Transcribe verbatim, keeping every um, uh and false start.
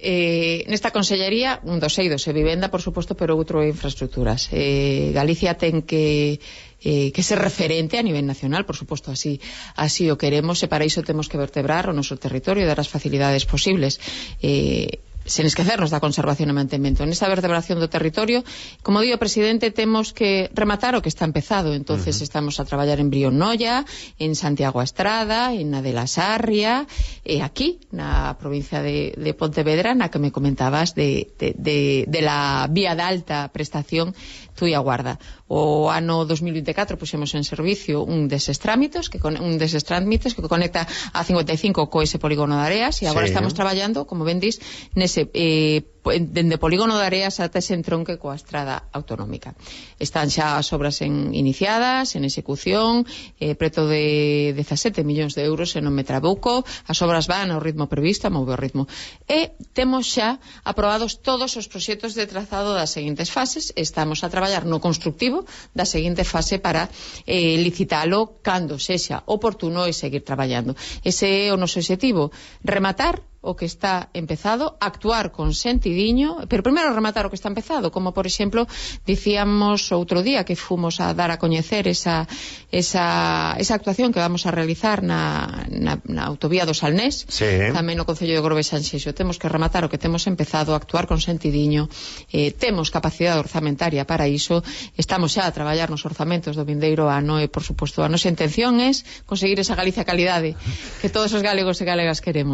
Eh, nesta consellería, un dos eidos e vivenda, por suposto, pero outro é infraestructuras. Eh, Galicia ten que eh, que ser referente a nivel nacional, por suposto, así así o queremos, e para iso temos que vertebrar o noso territorio e dar as facilidades posibles. Eh, sen esquecernos da conservación e mantemento. Nesta vertebración do territorio, como digo, presidente, temos que rematar o que está empezado. Entonces uh -huh. estamos a traballar en Brionolla, en Santiago a Estrada, en na de la Sarria, e aquí, na provincia de, de Pontevedra, na que me comentabas de, de, de, de la vía de alta prestación Tui a Guarda. O ano dos mil vinte e catro puxemos en servicio un deses trámites que con, un deses trámites que conecta a cincuenta e cinco co ese polígono de Areas, e agora sí. estamos traballando, como ben dis, nese eh, dende polígono de Areas ata ese entronque coa estrada autonómica. Están xa as obras en, iniciadas, en execución, eh, preto de dezasete millóns de euros, se non me trabuco. As obras van ao ritmo previsto, a mover o ritmo. E temos xa aprobados todos os proxectos de trazado das seguintes fases. Estamos a traballar no constructivo da seguinte fase para eh, licitalo cando sexa oportuno e seguir traballando. Ese é o noso objetivo, rematar o que está empezado, actuar con sentidiño, pero primeiro rematar o que está empezado, como por exemplo dicíamos outro día que fomos a dar a coñecer esa, esa, esa actuación que vamos a realizar na, na, na autovía do Salnés, sí. tamén no Concello de Grove Sanxenxo. Temos que rematar o que temos empezado, actuar con sentidiño, eh, temos capacidade orzamentaria para iso, estamos xa a traballar nos orzamentos do vindeiro ano e, por suposto, a nosa intención é conseguir esa Galicia calidade que todos os galegos e galegas queremos.